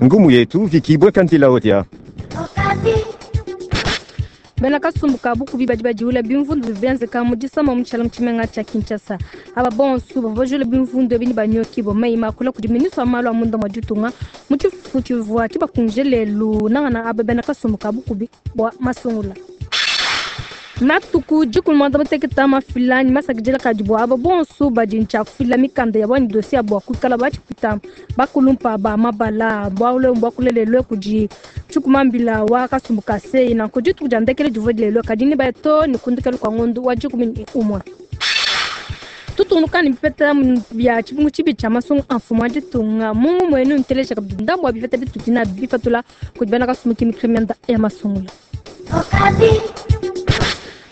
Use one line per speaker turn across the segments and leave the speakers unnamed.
Ngumu yetu Vicky Bwekanzila Odia.
Bena kasumbu ka bukubi badi badiula bimvundu bivua bienzeka mu disama mu tshiala mu tshimenga tshia Kinshasa. Aba bonso bavua bajula bimvundu ebi ne banyokibua meyi makula kudi ministre wa malu a munda mua ditunga mu tshifufu tshivua tshibakungije lelu nangana aba bena kasumbu ka bukubi bua masungula. Matuku dikumi muanda muteketa mafila ne masakidila kadi bua aba bonso badi ntshia kufila mikanda yabu anyi dossier yabu bua kuikala batshipita bakulumpa ba mabala. Bualu ebu mbua lelue kudi tshikumambila wa kasumbu ka seyi nanku dituku dia ndekelu divua dilelue kadi ne baya too ne ku ndekelu kua ngondo wa 11. Tutungunuka ne bipeta bia tshibungu tshibi tshia masungu a mfumu wa ditunga mu ngumu enu nteleja kabidi ndambu wa bipeta bitudi nabi bipatula kudi bena kasumbu kimitu mianda ya masungula.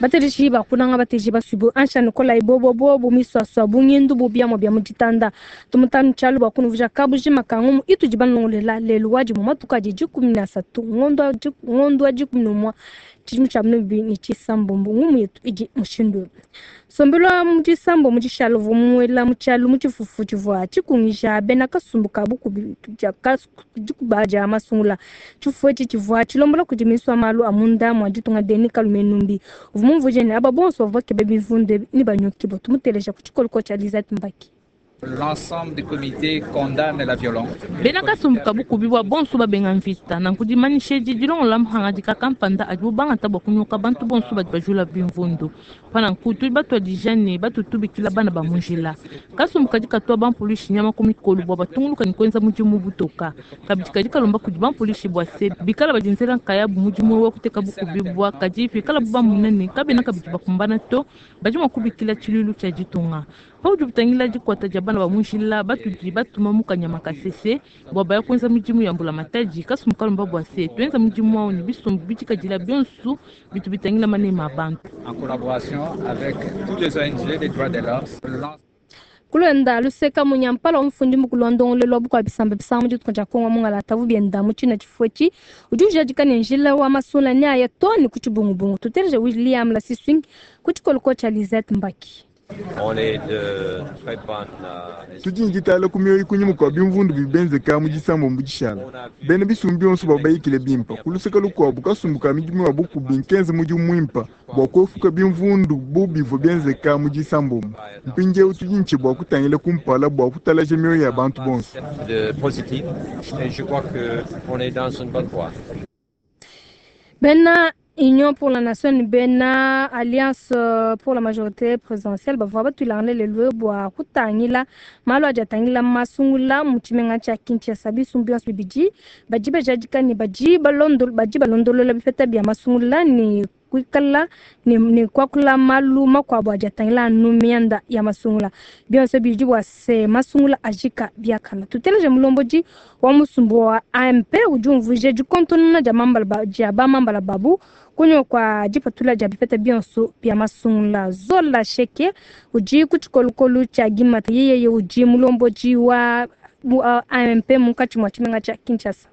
Bateleji ba kunanga bateleji basuibu ansha nikolayi bobo bobo miswaswa bungindu bu biamua bia mu ditanda tumutanu tshialu bua kunuvuja kabujima ka ngumu itudi banongolela lelu wadi mu matuku adi 13 ngondo wa 11 tshidimu tshia 2026. Ngumu yetu idi mushindu eu. Nsombelu wa mu disambo mu dishalo uvua muela mu tshialu mu tshifufu tshivua tshikungija bena kasumbu ka bukubi dikuba dia masungula. Tshifufu etshi tshivua tshilombola kudi ministre wa malu a munda mua ditunga Denis Kalume Numbi uvua mumvuije ne aba bonso bavua bakeba bimvundu ebi ne banyokibua. Tumuteleja ku tshikoloko tshia Lisette Mbaki.
L'ensemble du comité condamne la violence.
Bena kasumbu ka bukubi bua bonso babenga mvita nanku dimanyisha edi dilongola muhangadika kampanda adibu bangata bua kunyoka bantu bonso badi bajula bimvundu. Pa nanku tudi batuadija ne batutubikila bana ba mu njila. Kasumbu kadi katua bampulushi nyama ku mikolo bua batunguluka ne kuenza mudimu butoka. Kabidi kadi kalomba kudi bampulushi bua se bikala badienzela nkayabu mudimu wa kuteka bukubi bua kadi pikalabu bamona ne kabena kabidi bakumbana to badi mua kubikila tshiluilu tshia ditunga. Paudi butangila dikuata dia bana ba mu njila batudi batuma mu kanyama kasese bua baya kuenza midimu ya mbulamatadi. Kasumbu kalomba bua se tuenza mudimu wawu ne bisumbu bidikadila bionso bitu bitangila manema a bantu.
En collaboration avec tous les ONG des droits de l'homme.
Kulwenda luseka munyampala wa mufundi mukulu wa ndongolelo wa bukua bisamba bisanga mu ditunga dia Kongo mungalata bubienda mu tshina tshifufu etshi udi ujadika ne njila wa masungula ne aya too ne ku tshibungubungu. Tuteleje William Lasiswing ku tshikoloko tshia Lisette Mbaki.
Tudi ne ditala ku mioyo kunyima kua bimvundu bidi bienzeka mu disambombo dishala. Bena bisumbu bionso bavua bayikile bimpe. Ku luseke lukuabu kasumbu ka midimu ya bukubi nkenze mudimu muimpe bua kuepuka bimvundu bu bivua bienzeka mu disambombo. Mpindieu tudi ne bua kutangila kumpala bua kutalaja mioyo ya bantu bonso.
Bena Union pour la Nation ne bena Alliance pour la majorité présidentielle bavua batuilangane lelu bua kutangila malu adi atangila masungula mu tshimenga tshia Kinshasa. Bisumbu bionso bibidi badi bajadika ne badi balondolola bipeta bia masungula ne kuikala ne kuakula malu makuabu adi atangila anu mianda ya masungula. Bionso bidi bua se masungula ajika biakana. Tuteleje mulombodi wa musumbu wa AMP udi umvuija dikontonona dia mambala dia bamambala babu kunywa kwa dipatula dia bipeta bionso bia masungula. Zola Sheke udi ku tshikolokolo tshia Gimata yeye udi mulombodi wa AMP munkatshi mua tshimenga tshia Kinshasa.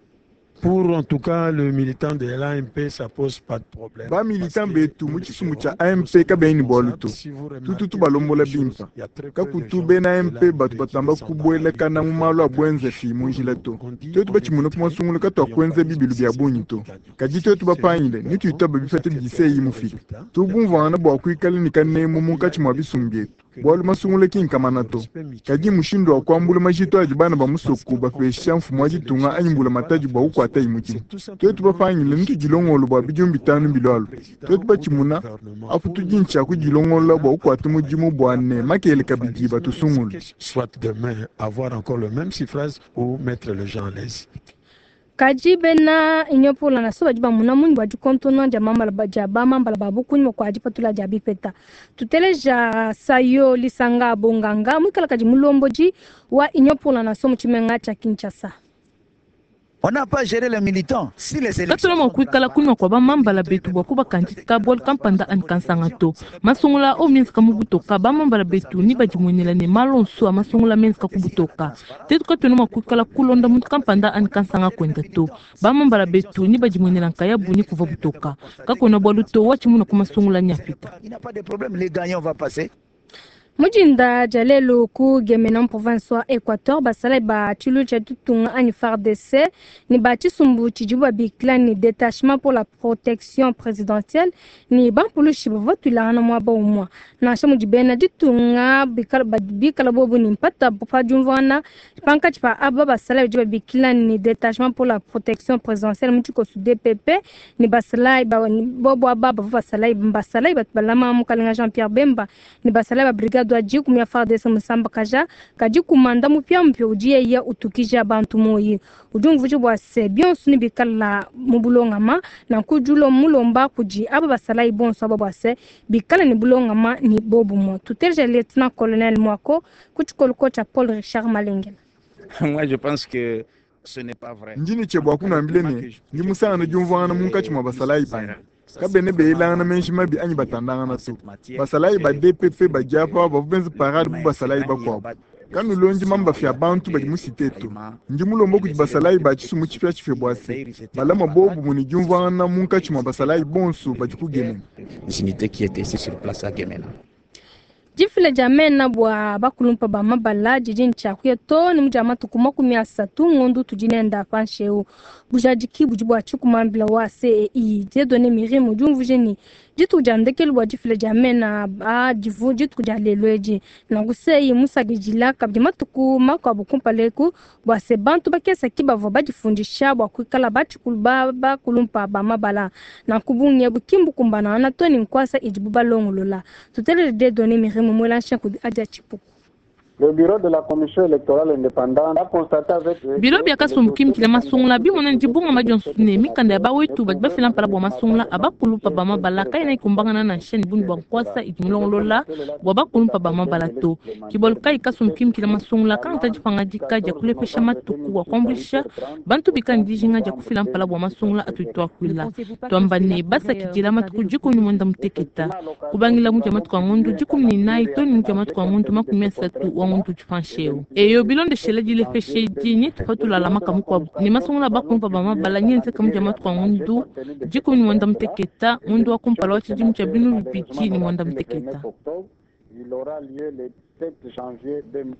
Pour en tout cas le militant de l'AMP, ça pose pas de problème.
Ba militant betu mu tshisumbu tshia AMP kabeni bualu to. Tutu tubalombola bimpe. Kakutu bena AMP batu batamba kubuelakana mu malu a buenzefi mu njila to. Tuetu batshimuna ku masungula katuakuenza bibilu bia bungi to. Kadi tuetu bapangile ne tuitaba bipeta bidiseyi mufika. Tubumvuangana bua kuikala ne kanemu munkatshi mua bisumbu bietu. Bualu masungula ki nkamana to. Kadi mushindu wa kuambula majitu adi bana ba musoko bapesha mfumu wa ditunga anyi mbulamatadi bua kukuata mudimu. Tuetu bapangile ne tudilongolo bua bidimu 5 bilualu. Tuetu batshimuna apu tudi ntshia kudilongolola bua kukuata mudimu bua ne makele kabidi batusungule.
Soit demain avoir encore le même suffrage ou mettre les gens à l'aise.
Kadi bena Union pour la Nation badi bamuna munyi bua dikontona dia mambala dia bamambala babu kunyima kua dipatula dia bipeta. Tuteleja Sayo Lisanga Bonganga muikala kadi mulombodi wa Union pour la Nation mu tshimenga tshia Kinshasa.
On n'a pas géré les militants. Si les élections
Katula mua kuikala kunywa kua bamambala betu bua kubakandika bualu kampanda ani kansanga to. Masungula o mienzeka mu butoka bamambala betu ni badimuenela ne malu onso a masungula mienzeka ku butoka. Tetu katuena mua kuikala kulonda muntu kampanda ani kansanga kuenda to. Bamambala betu ni badimuenela nkayabu ni kuva butoka. Kakuena bualu to watshimuna ku masungula nyapita.
Il n'y a pas de problème, les gagnants vont passer.
Mujinda dia lelu ku Gemena mu province wa Equateur, basalayi ba tshilu tshia ditunga anyi FARDC ne ba tshisumbu tshidibu babikila ne Detachement pour la protection présidentielle ne bampulushi bavua batuilangana muaba umue. Nansha mudi bena ditunga bikala bobu ne mpata pa diumvuangana pankatshi pa aba basalayi badi babikila ne Detachement pour la protection présidentielle mu tshikoso DPP ne basalayi bobu aba bavua basalayi basalayi batu balama mukalenga Jean-Pierre Bemba ne basalayi ba brigade wa dikumi ya FARDC musambakaja kadi kumanda mupiamupia udi yeye utukija bantu moyi udi umvuija bua se bionso ne bikala mu bulongama nanku udi mulomba kudi aba basalayi bonso aba bua se bikala ne bulongama ne bobumue. Tuteleja lieutenant colonel Mwako ku tshikoloko tshia Paul Richard Malengela.
Moi, je pense que ce n'est pas vrai.
Ndi ne bua kunambile ne ndi musangane diumvuangana munkatshi mua basalayi banyi kabene beyelangana menji mabi anyi batandangana to. Basalayi ba DPP badi apa bavua benza parade bu basalayi bakuabu. Kanulondi mambafi ya bantu badi mu cité to. Ndi mulomba kudi basalayi ba tshisumbu tshipiatshipia bua se balama bobu mune diumvuangana munkatshi mua basalayi bonso badi ku Gemena.
Unité qui était ici sur place à Gemena.
Difila dia mena bua bakulumpa ba mabala didi ntshiakuya to ne mudia matuku 30 ngondu tudi nenda panshi eu. Bujadiki budi bua tshikumambila wa CEI Dieudonné Miriam udi umvuija ne dituku dia ndekelu bua difila dia mena a divu dituku dia lelu edi. Nanku CEI musakidila kabidi matuku makuabu kumpala eku bua se bantu bakese ki bavua badifundisha bua kuikala batshikulu bakulumpa ba mabala. Nanku bungi ebu ki mbukumbana to ne nkuasa idibu balongolola. Tutelele Dieudonné Miriam mwela nshanku adia tshipuku.
Le bureau de la commission électorale indépendante a constaté avec
Bilo bia kasumbu kimikila masungula bimona ndibunga madionso ne mikanda ya bawetu badi bafila mpala bua masungula abakulumpa ba mabala kaina ikumbangana na nsheni bungi bua nkuasa idi mulongolola bua bakulumpa ba mabala to. Kibolu kai kasumbu kimikila masungula kangata dipangadika dia kulepesha matuku bua kuambuluisha bantu bikala dijinga dia kufila mpala bua masungula atuituakuila. Tuamba ne basakidila matuku 18 kubangila mudia matuku a ngondu 14 to ne mudia matuku a ngondu 30 wa ngondu tupansheu. Eyo bilondeshela dilepeshe di tupatula makamu kwabu ne masungula bakulumpa ba mabala nyenze kamudia matuku a ngondu 18 ngondu wa kumpala wa tshidimu tshia binu bibidi ne mwanda muteketa.
Il aura lieu le 7 janvier 2000.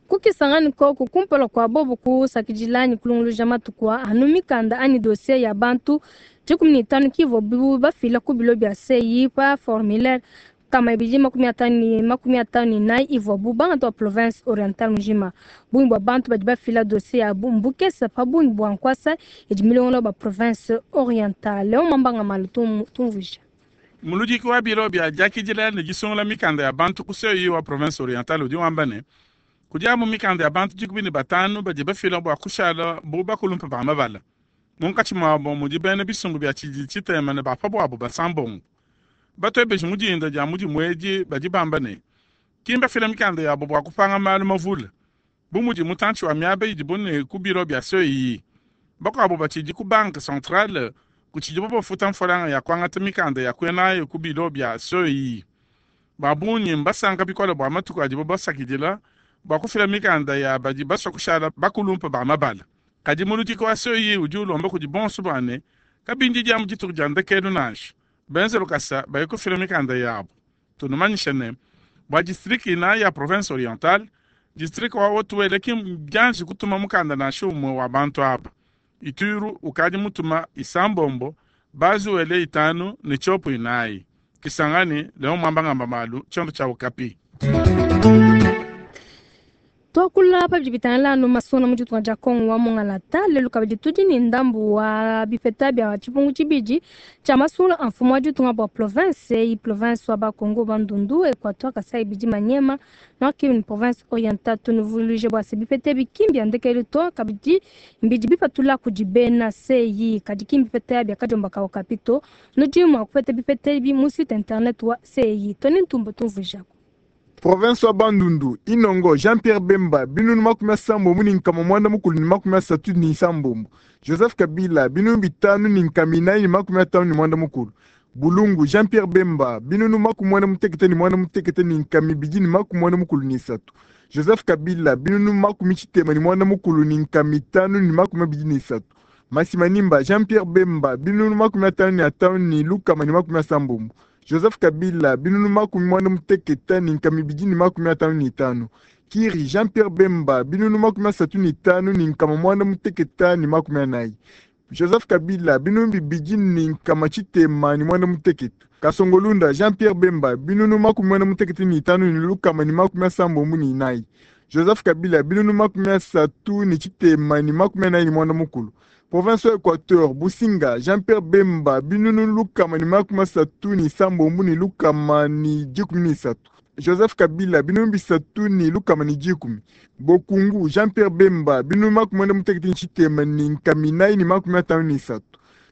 Kukisangani koko kumpala kwa bobo kusakidilani kulunguluja matuku anu mikanda ani dossier ya bantu 15 kivo bibu bafila ku bilo bia CEI pa formulaire kama ibidi 54 ivua bu bangata wa province orientale mujima. Bungi bua bantu badi bafila dossier ya mbukesa pa bungi bua nkuasa idi milongola ba province orientale. Leo mambanga malu tumvuija.
Muludiki wa bilo bia diakidila ne disungula mikanda ya bantu ku CEI wa province orientale udi wamba ne kudi amu mikanda ya bantu 15 badi bafila bua kushala bu bakulumpa ba mabala. Munkatshi muabo mudi bena bisumbu bia tshidi tshitema ne bapa buabu basambongo. Batwebeji mudinda dia mudi mwedi badi bamba ne kimba fila mikanda yabo bua kupanga malu mavula. Bu mudi mutantshi wa miaba idibu ne ku biro bia CEI. Bakuabu batshidi ku banque centrale kutshidibo bafuta mfolanga ya kuangata mikanda ya kuenayo ku biro bia CEI. Babungi mbasanka bikole bua matuku adibo basakidila bua kufila mikanda ya badi basua kushala bakulumpa ba mabala. Kadi muludiki wa CEI udi ulomba kudi bonso bua ne kabindi dia mu dituku dia ndekelu nansha. Benze lukasa baye kufila mikanda yabo. Tunumanyisha ne bua district ina ya province orientale, district wa Haut-Uele ki mbianji kutuma mukanda nansha umue wa bantu aba. Ituri ukadi mutuma isambombo, Bas-Uele 5 ne Tshopo 4. Kisangani leo mwamba ngamba malu tshiondo tshia Okapi.
Twakula pa bidi bitangila anu masona mu ditunga dia Kongo wa Mongalata lelu kabidi tudi ne ndambu wa bipeta bia tshipungu tshibidi tshia masungula a mfumu wa ditunga bua province eyi, province wa Bakongo Bandundu, Equateur, Kasai bidi Maniema, Nord Kivu ne province orientale. Tunuvuluije bua se bipeta ebi ki mbia ndekelu to, kabidi mbidi bipatula kudi bena CEI, kadi ki mbipeta bia kadiomba ka Okapi to. Nudi mua kupeta bipeta ebi mu site internet wa CEI. Tony Ntumba tumvuijaku.
Province wa Bandundu, Inongo, Jean-Pierre Bemba, binunu 80 ni nkama mwanda mukulu ni 37. Joseph Kabila, binunu 5 ni nkama inayi ni 59. Bulungu, Jean-Pierre Bemba, binunu 86 ni nkama ibidi ni 93. Joseph Kabila, binunu 91 ni nkama itanu ni 23. Masimanimba, Jean-Pierre Bemba, binunu 55 ni lukama ni 70. Joseph Kabila binunu 65255. Kiri Jean Pierre Bemba binunu 35 840. Joseph Kabila binunu 268. Kasongolunda Jean Pierre Bemba binunu 985 174. Joseph Kabila binunu 374. Province Équateur Businga Jean Pierre Bemba binunu 137 113. Joseph Kabila binunu 310. Bokungu Jean Pierre Bemba binunu 96453.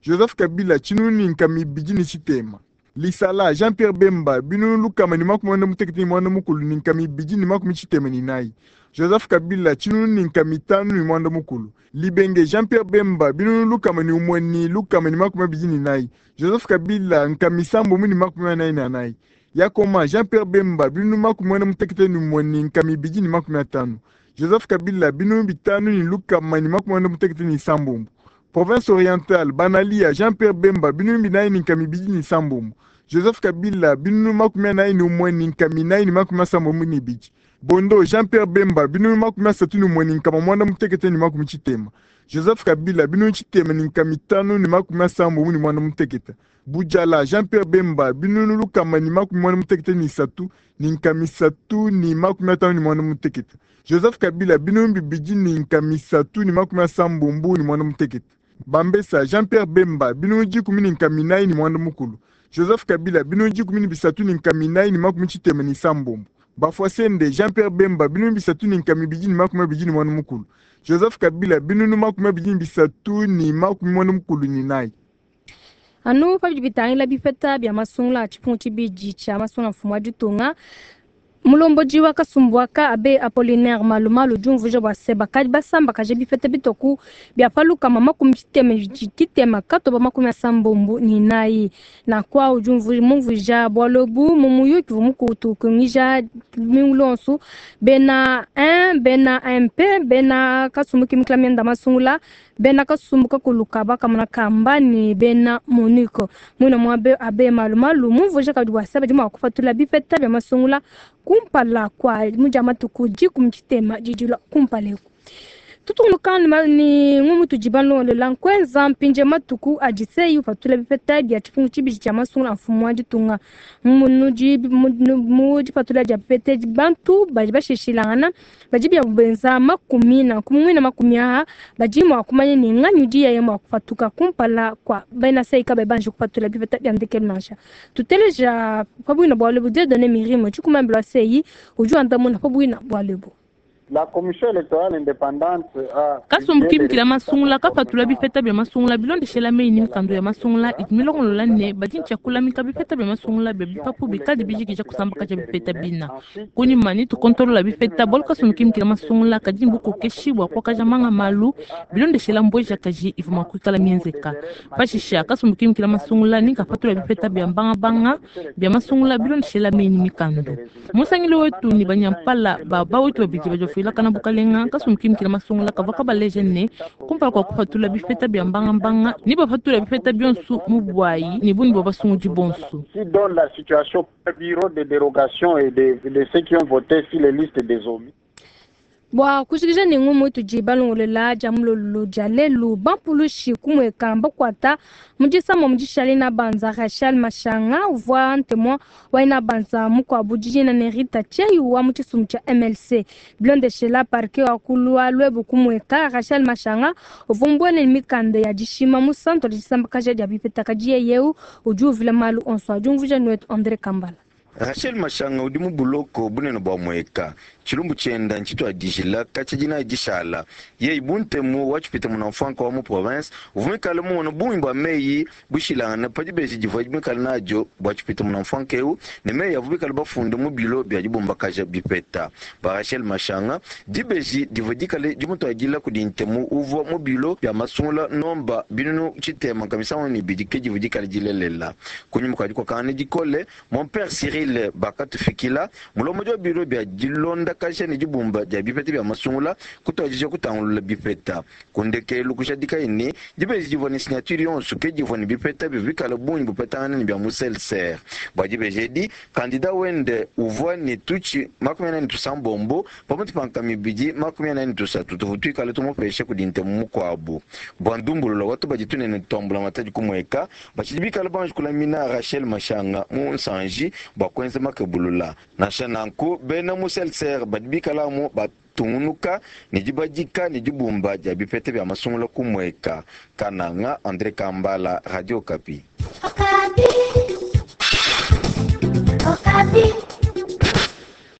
Joseph Kabila 760. Lisala Jean Pierre Bemba binunu 194. Joseph Kabila 759. Libenge Jean Pierre Bemba binunu 124. Joseph Kabila 744. Yakoma Jean Pierre Bemba binunu 96150. Joseph Kabila binunu 596. Province orientale Banalia Jean Pierre Bemba binunu 427. Joseph Kabila binunu 41972. Bondo Jean Pierre Bemba binunu 31960. Joseph Kabila binunu 658. Budjala Jean Pierre Bemba binunu 193 358. Joseph Kabila binunu 238. Bambesa Jean Pierre Bemba binunu 149. Joseph Kabila binunu 13486. Bafwasende Jean Pierre Bemba binunu 329. Joseph Kabila binunu 234.
Anu pabidi bitangila bipeta bya masungula tshipungu tshibidi tshia masungula mfumu wa ditunga mulomboji wa kasumbu aka abe Apollinaire Malumalu diumvuija bua se bakadi basambakaja bipeta bitoku bia palukama 63 katoba 84 na kwa udi mumvuija bualu ebu mu muyuki uvua mukutukungija lumingu luonso bena 1 bena MP bena kasumbu kimikila mianda masungula bena kasumbu kakuluka bakamona kamba ni bena MONUC muina mua abe Malumalu mumvuija kabidi bua se badi mua kupatula bipeta bia masungula kumpala kwa muja matuku 60 didilua kumpala eku tutungunuka ni ngumu tudi balongolola nkwenza mpinje matuku adi seyi upatula bipeta bia tshipungu tshibidi tshia masungula a mfumu wa ditunga mu dipatula dia bipeta bantu badi bashishilangana badi bia benza makumi na nkumu makumi aha badi mua kumanya ni nganyi udi yeye mua kupatuka kumpala kwa bena seyi kabayi banji kupatula bipeta bia ndekelu nansha tuteleja pabuina bualu ebu Dieudonné Mirimo tshikumambila seyi udi wandamuna pabuina bualu ebu.
La commission électorale indépendante a
Kasumbu kimikila masungula kapatula bipeta bia masungula bilondeshela meyi ni mikanda ya masungula idi milongolola ne badi ntshiakulamika bipeta bia masungula bia bipapu bikadi bijikija kusambakaja bipeta bina kunyima ni tukontolola bipeta bualu kasumbu kimikila masungula kadi ni bukokeshi bua kuakaja manga malu bilondeshela mbweja kaji ivua mua kuikala mienzeka pashisha kasumbu kimikila masungula ni kapatula bipeta bia mbangabanga bia masungula bilondeshela meyi ni mikanda musangili wetu ni banyampala ba wetu babidi badi bafila kana bukalenga kasumbu kimikila masungula kavua kabaleja ne kumpala kua kupatula bipeta bia mbangambanga ni bapatula bipeta bionso mu bwayi ni buni bua basungudi bonso.
Qui donne la situation bureau de dérogation et de ceux qui ont voté sur les listes des omis.
Bua kujikija ne ngumu tudi balongolola dia mulolo dia lelu bampulushi kumweka bakuata mu disama mu dishale na banza Rachel Mashanga uvua ntemwa waina banza mukuabu dijina ne Rita Chei wa mu tshisumbu tshia MLC bilondeshela parquet wa kulua lwebu kumweka Rachel Mashanga uvua mbuene mikanda ya dishima mu santo disambakaja dia bipeta kadi yeyeu udi uvila malu onso adi umvuija nuetu André Kambala.
Rachel Mashanga udi mu buloko bunene bua mweka tshilumbu tshienda ntshituadijila katshia dinayi dishala yeyi buntemu wa tshipita munamfuanka wa mu province uvua muikale mumona bungi bua meyi bushilangane pa dibeji divua muikale nadio bua tshipita munamfuanka eu ne meyi avua bikale bafunde mu bilo bia dibumbakaja bipeta ba Rachel Mashanga dibeji divua dikale dimutuadila kudi ntemu uvua mu bilo bia masungula nomba 602 ke divua dikale dilelela kunyima kua dikokangana dikole mon père Cyril. Senil bakatufikila. Mulombodi wa biro bia dilondakaja ne dibumba dia bipeta bia masungula kutuadija kutangulula bipeta. Ku ndekelu kujadikaye ne, dibeji divua ne signature yonso ke divua ne bipeta bivua bikale bungi bupetangana ne bia mu CLCR. Bua dibeji edi, kandida wende uvua ne tutshi 46 pamutu pa nkama 243 tuvua tuikale tumupesha kudi ntemu mukuabu. Bua ndumbulula wa tubadi tunene tua mbulamatadi ku Mweka, batshidi bikale banji kulamina Rachel Mashanga mu nsanji bua kuenza makebulula. Nansha nanku, bena mu CLCR badi bikale amu batungunuka ne dibadika ne dibumba dia bipeta bia masungula ku Mweka. Kananga, Andre Kambala, Radio Okapi.
Okapi. Okapi.